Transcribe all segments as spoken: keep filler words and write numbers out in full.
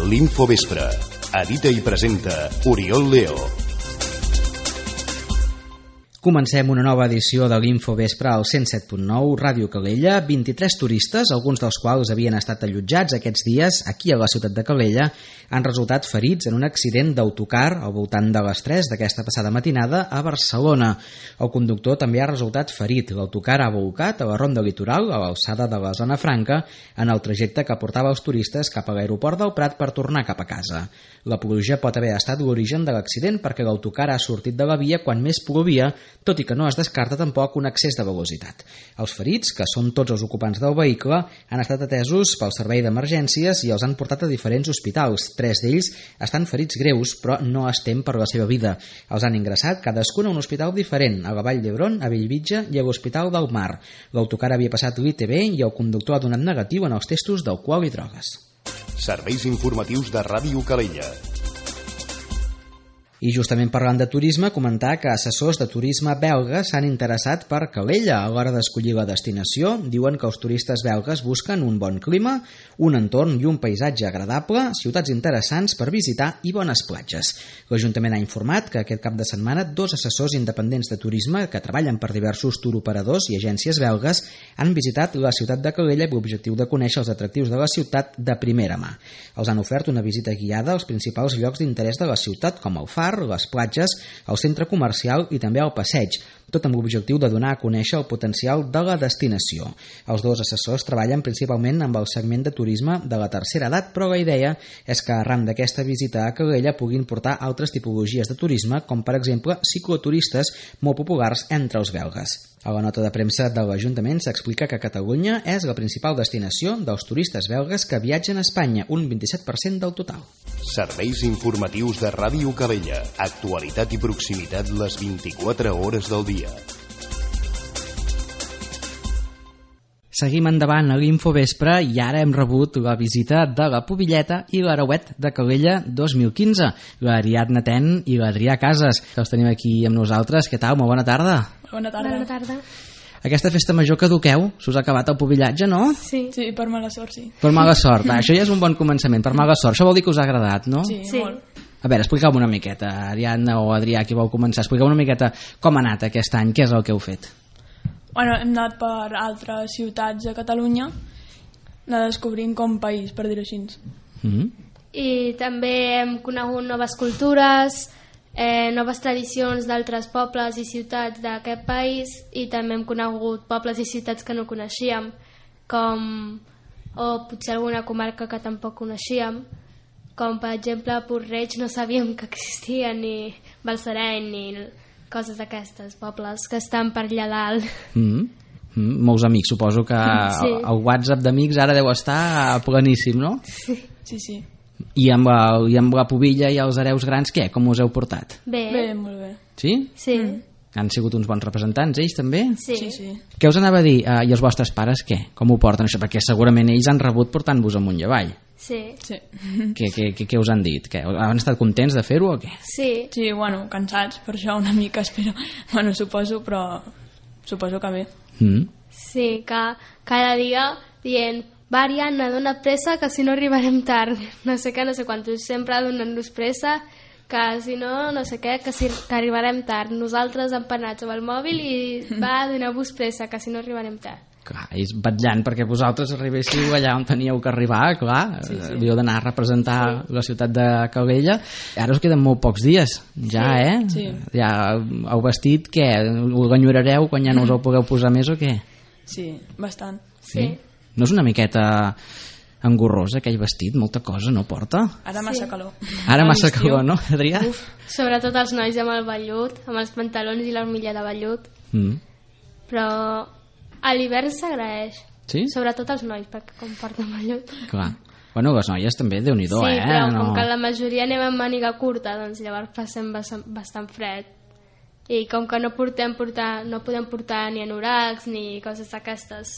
L'Infovespre. Edita i presenta Oriol Leo. Comencem una nova edició de l'Infovespre al cent set punt nou, Ràdio Calella. vint-i-tres turistes, alguns dels quals havien estat allotjats aquests dies aquí a la ciutat de Calella, han resultat ferits en un accident d'autocar al voltant de les tres d'aquesta passada matinada a Barcelona. El conductor també ha resultat ferit. L'autocar ha volcat a la ronda litoral, a l'alçada de la Zona Franca, en el trajecte que portava els turistes cap a l'aeroport del Prat per tornar cap a casa. La pluja pot haver estat l'origen de l'accident perquè l'autocar ha sortit de la via quan més plovia, tot i que no es descarta tampoc un excés de velocitat. Els ferits, que són tots els ocupants del vehicle, han estat atesos pel servei d'emergències i els han portat a diferents hospitals. Tres d'ells estan ferits greus, però no es tem per la seva vida. Els han ingressat cadascun a un hospital diferent, a la Vall d'Hebron, a Bellvitge i a l'Hospital del Mar. L'autocar havia passat l'I T B i el conductor ha donat negatiu en els testos d'alcohol i drogues. Serveis informatius de Ràdio Calella. I justament parlant de turisme, comentar que assessors de turisme belgues s'han interessat per Calella a l'hora d'escollir la destinació. Diuen que els turistes belgues busquen un bon clima, un entorn i un paisatge agradable, ciutats interessants per visitar i bones platges. L'Ajuntament ha informat que aquest cap de setmana dos assessors independents de turisme que treballen per diversos touroperadors i agències belgues han visitat la ciutat de Calella amb l'objectiu de conèixer els atractius de la ciutat de primera mà. Els han ofert una visita guiada als principals llocs d'interès de la ciutat, com el Far, les platges, el centre comercial i també el passeig, tot amb l'objectiu de donar a conèixer el potencial de la destinació. Els dos assessors treballen principalment amb el segment de turisme de la tercera edat, però la idea és que arran d'aquesta visita a Calella puguin portar altres tipologies de turisme, com per exemple cicloturistes molt populars entre els belgues. A la nota de premsa de l'Ajuntament s'explica que Catalunya és la principal destinació dels turistes belgues que viatgen a Espanya, un vint-i-set per cent del total. Serveis informatius de Ràdio Calella. Actualitat i proximitat les vint-i-quatre hores del dia. Seguim endavant a l'Infovespre i ara hem rebut la visita de la Pubilleta i l'Arauet de Calella dos mil quinze, l'Ariadna Ten i l'Adrià Casas, que els tenim aquí amb nosaltres. Què tal? Molt bona tarda. Bona tarda. Bona tarda. Aquesta festa major que duqueu, s'us ha acabat el pubillatge, no? Sí. Sí, per mala sort, sí. Per mala sort. Ah, això ja és un bon començament, per mala sort. Això vol dir que us ha agradat, no? Sí, Sí. molt. A veure, expliqueu-me una miqueta, Ariadna o Adrià, qui vol començar, expliqueu una miqueta com ha anat aquest any, què és el que heu fet? Bueno, hem anat per altres ciutats de Catalunya, anar descobrint com país, per dir-ho així. Mm-hmm. I també hem conegut noves cultures, eh, noves tradicions d'altres pobles i ciutats d'aquest país, i també hem conegut pobles i ciutats que no coneixíem, com o potser alguna comarca que tampoc coneixíem, com per exemple Puig-reig no sabíem que existia, ni Balsareny, ni coses d'aquestes, pobles que estan per allà dalt. Mm-hmm. Mm-hmm. Molts amics, suposo que Sí. el WhatsApp d'amics ara deu estar pleníssim, no? Sí, sí. I amb, el, I amb la Pubilla i els hereus grans, què? Com us heu portat? Bé, Bé, molt bé. Sí? sí, Han sigut uns bons representants, ells també? sí. Sí, sí. Què us anava a dir? Uh, I els vostres pares, què? Com ho porten això? Perquè segurament ells han rebut portant-vos amunt i avall. Sí, Sí. Què, què, què, què us han dit? Què? Han estat contents de fer-ho o què? sí. Sí, bueno, cansats per això una mica, espero. Bueno, suposo, però suposo que bé. Mm. Sí, que cada dia dient va Ariadna, dona pressa que si no arribarem tard, no sé què, no sé quantos, sempre donant-nos pressa, que si no, no sé què, que, si, que arribarem tard, nosaltres empanats amb el mòbil i va donar-vos pressa que si no arribarem tard. Clar, és batllant perquè vosaltres arribéssiu allà on teníeu que arribar, clar, sí, sí. Havíeu d'anar a representar sí. la ciutat de Calella. Ara us queden molt pocs dies, ja, sí. eh? Sí. Ja heu vestit, què? Ho enyorareu quan ja no us el pugueu posar més o què? Sí, bastant. Sí. No és una miqueta engorrós aquell vestit? Molta cosa, no porta? Ara massa Sí. calor. Ara A massa l'estiu. calor, no, Adrià? Uf, Sobretot els nois amb el vellut, amb els pantalons i l'armilla de vellut, Mm. però a l'hivern s'agraeix, Sí? sobretot els nois, perquè com porten vellut. Clar. Bueno, les noies també, Déu-n'hi-do, Sí, eh? però no... com que la majoria anem amb màniga curta, doncs llavors passem bastant, bastant fred. I com que no, portem, portar, no podem portar ni anoracs ni coses d'aquestes,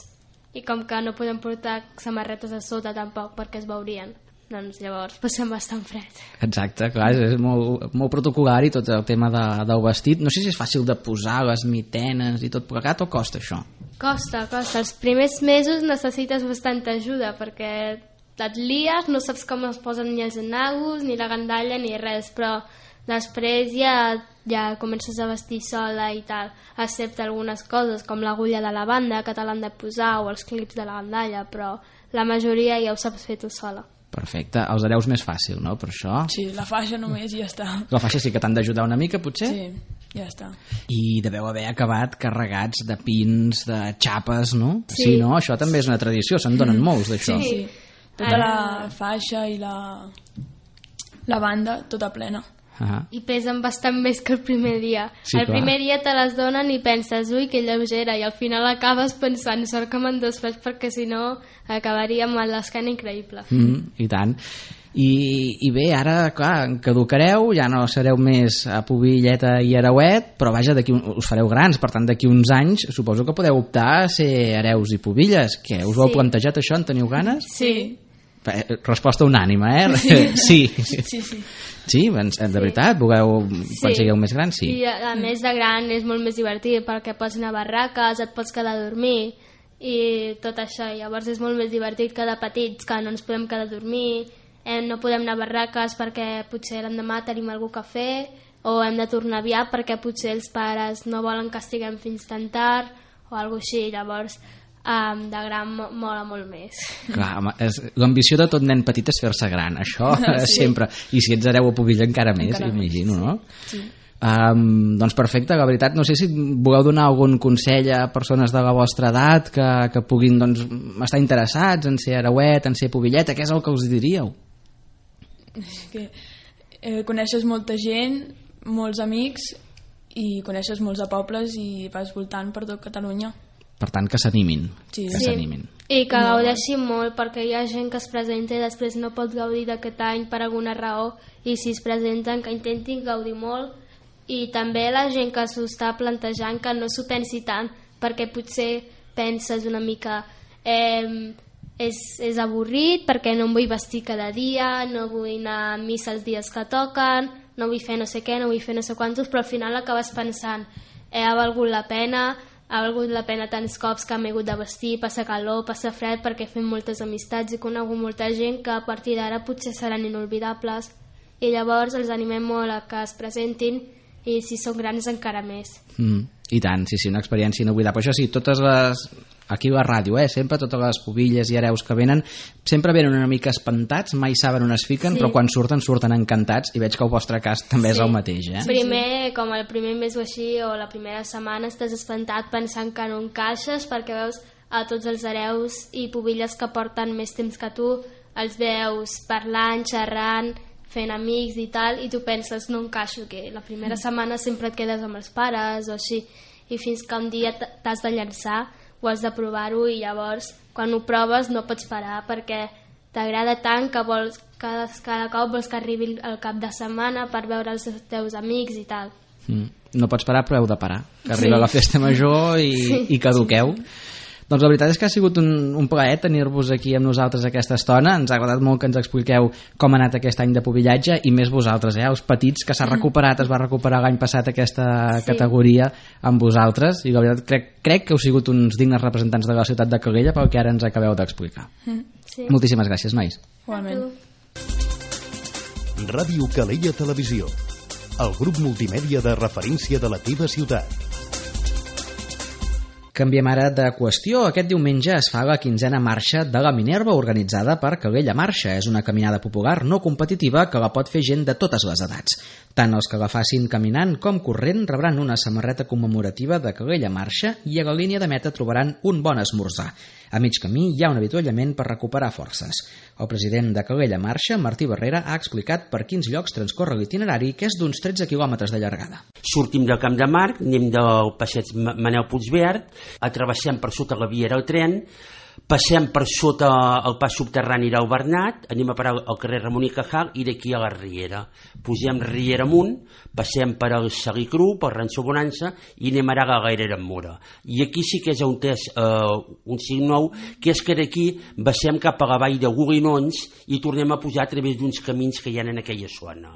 i com que no podem portar samarretes a sota tampoc perquè es veurien, doncs llavors passem bastant fred. Exacte, clar, és, és molt, molt protocolari tot el tema de, del vestit. No sé si és fàcil de posar les mitenes i tot plegat o costa això? Costa, costa. Els primers mesos necessites bastanta ajuda perquè et lies, no saps com es posen ni els enagos, ni la gandalla, ni res, però després ja, ja comences a vestir sola i tal, excepte algunes coses com l'agulla de la banda que te l'han de posar o els clips de la gandalla, però la majoria ja ho saps fer tu sola. Perfecte, els hereus més fàcil, no, per això? Sí, la faixa només i ja està. La faixa sí que t'han d'ajudar una mica, potser? Sí, ja està. I deveu haver acabat carregats de pins, de xapes, no? Sí. Sí, no? Això també és una tradició, se'n donen molts d'això. Sí, sí. Tota la faixa i la, la banda, tota plena. Ah. I pesen bastant més que el primer dia. Sí, el clar. primer dia te les donen i penses, ui, que lleugera, i al final acabes pensant, sort que me'n desfés perquè si no acabaria amb l'escana increïble. Mm, I tant. I, I bé, ara, clar, caducareu, ja no sereu més a Pobilleta i Arauet, però vaja, d'aquí un- us fareu grans, per tant, d'aquí uns anys suposo que podeu optar a ser hereus i Pobilles. Què, us ho heu Sí. plantejat això? En teniu ganes? Sí. Eh, Resposta unànima, eh? Sí. Sí, sí. Sí, ben- de veritat, voleu, quan Sí. sigueu més grans, sí. I a, a més de gran és molt més divertit perquè pots anar a barraques, et pots quedar a dormir i tot això. Llavors és molt més divertit que de petits, que no ens podem quedar a dormir, eh, no podem anar a barraques perquè potser l'endemà tenim alguna cosa a fer, o hem de tornar aviat perquè potser els pares no volen que estiguem fins tan tard o alguna així. Llavors um, de gran mo- mola molt més. Clar, home, és- l'ambició de tot nen petit és fer-se gran, això Sí. sempre. I si ets hereu a Pobilla encara més, Encara més, imagino, no? Sí. Um, doncs perfecte, la veritat, no sé si voleu donar algun consell a persones de la vostra edat que, que puguin doncs, estar interessats en ser hereuet, en ser Pobilleta, què és el que us diríeu? És que eh, coneixes molta gent, molts amics i coneixes molts de pobles i vas voltant per tot Catalunya. Per tant, que s'animin, Sí. que Sí. s'animin. I que gaudeixin molt, perquè hi ha gent que es presenta i després no pot gaudir d'aquest any per alguna raó, i si es presenten que intentin gaudir molt, i també la gent que s'ho està plantejant que no s'ho pensi tant, perquè potser penses una mica eh, és, és avorrit perquè no em vull vestir cada dia, no vull anar a missa els dies que toquen, no vull fer no sé què, no vull fer no sé quantos, però al final acabes pensant eh, ha valgut la pena, ha valgut la pena tants cops que m'he hagut de vestir, passa calor, passa fred, perquè fem moltes amistats i conegut molta gent que a partir d'ara potser seran inolvidables, i llavors els animem molt a que es presentin, i si són grans encara més. Mm, I tant, sí, sí, una experiència inoblidable. Això sí, totes les... Aquí a la ràdio, eh? Sempre totes les Pobilles i hereus que venen sempre venen una mica espantats, mai saben on es fiquen, Sí. però quan surten, surten encantats, i veig que el vostre cas també és Sí. el mateix, eh? Primer, com el primer mes o així, o la primera setmana, estàs espantat pensant que no encaixes, perquè veus a tots els hereus i Pobilles que porten més temps que tu, els veus parlant, xerrant, fent amics i tal, i tu penses, no encaixo, que la primera setmana sempre et quedes amb els pares o així, i fins que un dia t- t'has de llançar o has de provar-ho, i llavors quan ho proves no pots parar perquè t'agrada tant que vols cada, cada cop vols que arribi el cap de setmana per veure els teus amics i tal. Mm. No pots parar, però heu de parar, que arriba la festa major i, Sí. i caduqueu. Doncs la veritat és que ha sigut un, un plaer tenir-vos aquí amb nosaltres aquesta estona. Ens ha agradat molt que ens expliqueu com ha anat aquest any de pobillatge, i més vosaltres, eh? Els petits, que s'ha recuperat, es va recuperar l'any passat aquesta Sí. categoria amb vosaltres, i la veritat crec, crec que heu sigut uns dignes representants de la ciutat de Calella pel que ara ens acabeu d'explicar. Sí. Moltíssimes gràcies, nois. Igualment. Tu. Ràdio Calella Televisió, el grup multimèdia de referència de la teva ciutat. Canviem ara de qüestió. Aquest diumenge es fa la quinzena marxa de la Minerva, organitzada per Calella Marxa. És una caminada popular no competitiva que la pot fer gent de totes les edats. Tant els que la facin caminant com corrent rebran una samarreta commemorativa de Calella Marxa, i a la línia de meta trobaran un bon esmorzar. A mig camí hi ha un avituallament per recuperar forces. El president de Calella Marxa, Martí Barrera, ha explicat per quins llocs transcorre l'itinerari, que és d'uns tretze quilòmetres de llargada. Sortim del Camp de Marc, anem del passeig Manel Puigverd, atravessem per sota la via del tren, passem per sota el pas subterrani del Bernat, anem a parar al carrer Ramon i Cajal i d'aquí a la Riera. Pugem Riera amunt, passem per el Salicru, per Ranxo Bonança, i anem ara a la Gairera en Mora. I aquí sí que és un test, eh, un cinc nou, que és que d'aquí baixem cap a la vall de Golinons i tornem a pujar a través d'uns camins que hi ha en aquella zona.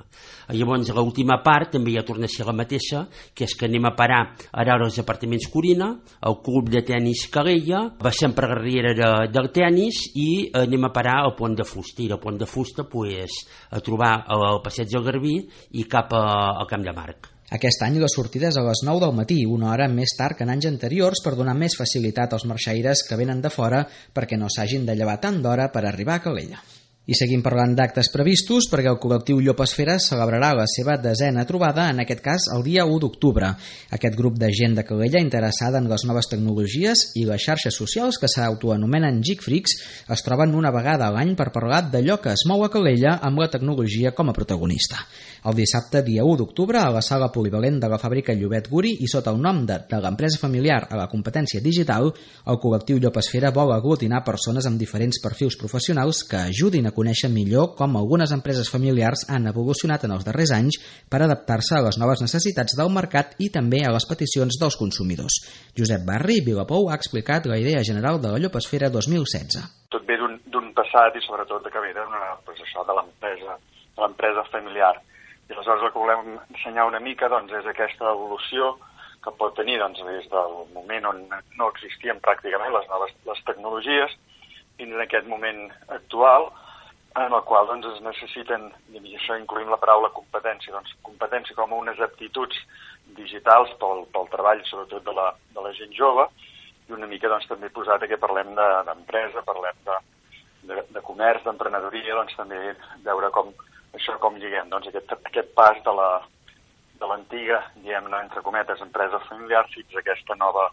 Llavors, l'última part també ja torna a ser la mateixa, que és que anem a parar ara als apartaments Corina, al club de tenis Calella, baixem per la Riera carrera del tennis i anem a parar al Pont de Fusta, i al Pont de Fusta pues, a trobar el passeig del Garbí i cap a, al Camp de Marc. Aquest any la sortida és a les nou del matí, una hora més tard que en anys anteriors per donar més facilitat als marxaires que venen de fora perquè no s'hagin de llevar tant d'hora per arribar a Calella. I seguim parlant d'actes previstos perquè el col·lectiu Llopesfera celebrarà la seva desena trobada, en aquest cas el dia u d'octubre. Aquest grup de gent de Calella interessada en les noves tecnologies i les xarxes socials que s'autoanomenen Geek Freaks es troben una vegada a l'any per parlar d'allò que es mou a Calella amb la tecnologia com a protagonista. El dissabte, dia u d'octubre, a la sala polivalent de la fàbrica Llobet Guri i sota el nom de, de l'empresa familiar a la competència digital, el col·lectiu Llopesfera vol aglutinar persones amb diferents perfils professionals que ajudin a conèixer millor com algunes empreses familiars han evolucionat en els darrers anys per adaptar-se a les noves necessitats del mercat i també a les peticions dels consumidors. Josep Barri, Vilapou, ha explicat la idea general de la Llopesfera dos mil setze. Tot ve d'un passat i sobretot que ve pues, això de l'empresa de l'empresa familiar. I aleshores el que volem ensenyar una mica doncs, és aquesta evolució que pot tenir doncs, des del moment on no existien pràcticament les noves les tecnologies fins en aquest moment actual, en el qual doncs, es necessiten, i això incluïm la paraula competència, doncs, competència com unes aptituds digitals pel, pel treball, sobretot de la, de la gent jove, i una mica doncs, també posat que parlem d'empresa, de, parlem de, de, de comerç, d'emprenedoria, doncs també veure com això com lliguem, doncs, aquest, aquest pas de la de l'antiga, diguem-ne, entre cometes, empresa familiar fins a aquesta nova,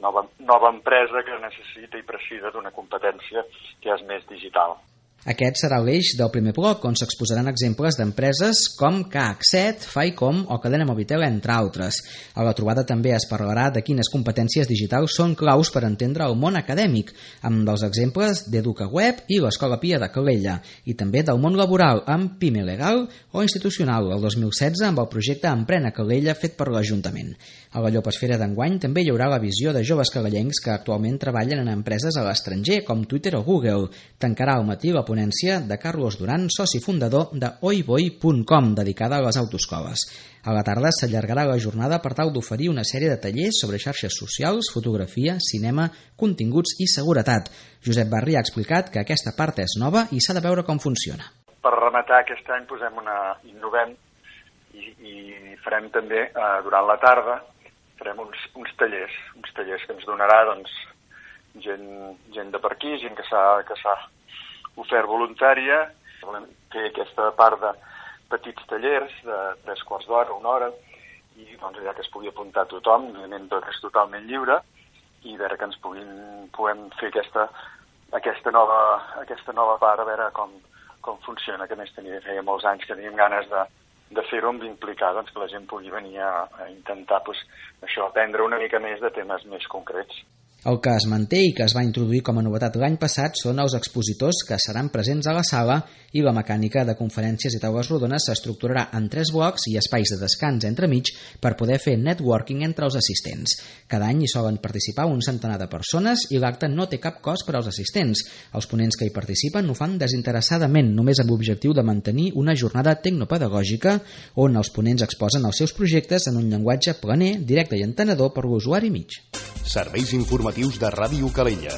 nova, nova empresa que necessita i precisa d'una competència que és més digital. Aquest serà l'eix del primer bloc, on s'exposaran exemples d'empreses com K H set, Faicom o Cadena Movitel, entre altres. A la trobada també es parlarà de quines competències digitals són claus per entendre el món acadèmic, amb els exemples d'EducaWeb i l'Escola Pia de Calella, i també del món laboral, amb Pime Legal o Institucional, el dos mil setze amb el projecte Emprena Calella fet per l'Ajuntament. A la Llopesfera d'enguany també hi haurà la visió de joves calellencs que actualment treballen en empreses a l'estranger, com Twitter o Google. Tancarà al matí la ponència de Carlos Duran, soci fundador de oiboi punt com, dedicada a les autoescoles. A la tarda s'allargarà la jornada per tal d'oferir una sèrie de tallers sobre xarxes socials, fotografia, cinema, continguts i seguretat. Josep Barri ha explicat que aquesta part és nova i s'ha de veure com funciona. Per rematar aquest any posem una innovem i, i farem també eh, durant la tarda farem uns, uns tallers, uns tallers que ens donarà doncs, gent, gent de per aquí, gent que s'ha que s'ha ofert voluntària. Volem fer aquesta part de petits tallers de tres quarts d'hora, una hora, i doncs, allà que es pugui apuntar tothom, òbviament tot és totalment lliure, i veure que ens puguin, puguem fer aquesta, aquesta, nova, aquesta nova part, a veure com, com funciona, que més tenia, feia molts anys que teníem ganes de, de fer-ho, amb implicar doncs, que la gent pugui venir a, a intentar pues, això, aprendre una mica més de temes més concrets. El que es manté i que es va introduir com a novetat l'any passat són els expositors que seran presents a la sala i la mecànica de conferències i taules rodones s'estructurarà en tres blocs i espais de descans entremig per poder fer networking entre els assistents. Cada any hi solen participar un centenar de persones i l'acte no té cap cost per als assistents. Els ponents que hi participen ho fan desinteressadament, només amb l'objectiu de mantenir una jornada tecnopedagògica on els ponents exposen els seus projectes en un llenguatge planer, directe i entenedor per l'usuari mig. Serveis informatius de Ràdio Calella.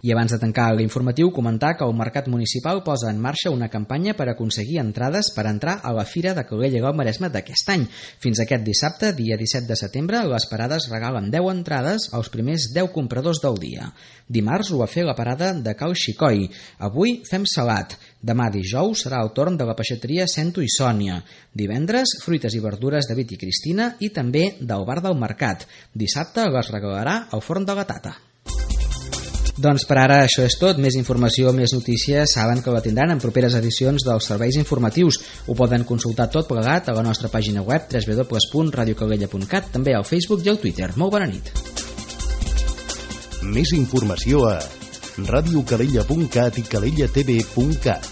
I abans de tancar l'informatiu, comentar que el Mercat Municipal posa en marxa una campanya per aconseguir entrades per entrar a la Fira de Calella i el Maresme d'aquest any. Fins aquest dissabte, dia disset de setembre, les parades regalen deu entrades als primers deu compradors del dia. Dimarts ho va fer la parada de Cal Xicoi. Avui fem salat. Demà dijous serà el torn de la peixateria Cento i Sònia. Divendres, fruites i verdures de David i Cristina i també del bar del mercat. Dissabte les regalarà al forn de la Tata. Doncs per ara això és tot. Més informació, més notícies, saben que la tindran en properes edicions dels serveis informatius. Ho poden consultar tot plegat a la nostra pàgina web w w w punt radio calella punt cat, també al Facebook i al Twitter. Molt bona nit. Més informació a radio calella punt cat i calella t v punt cat.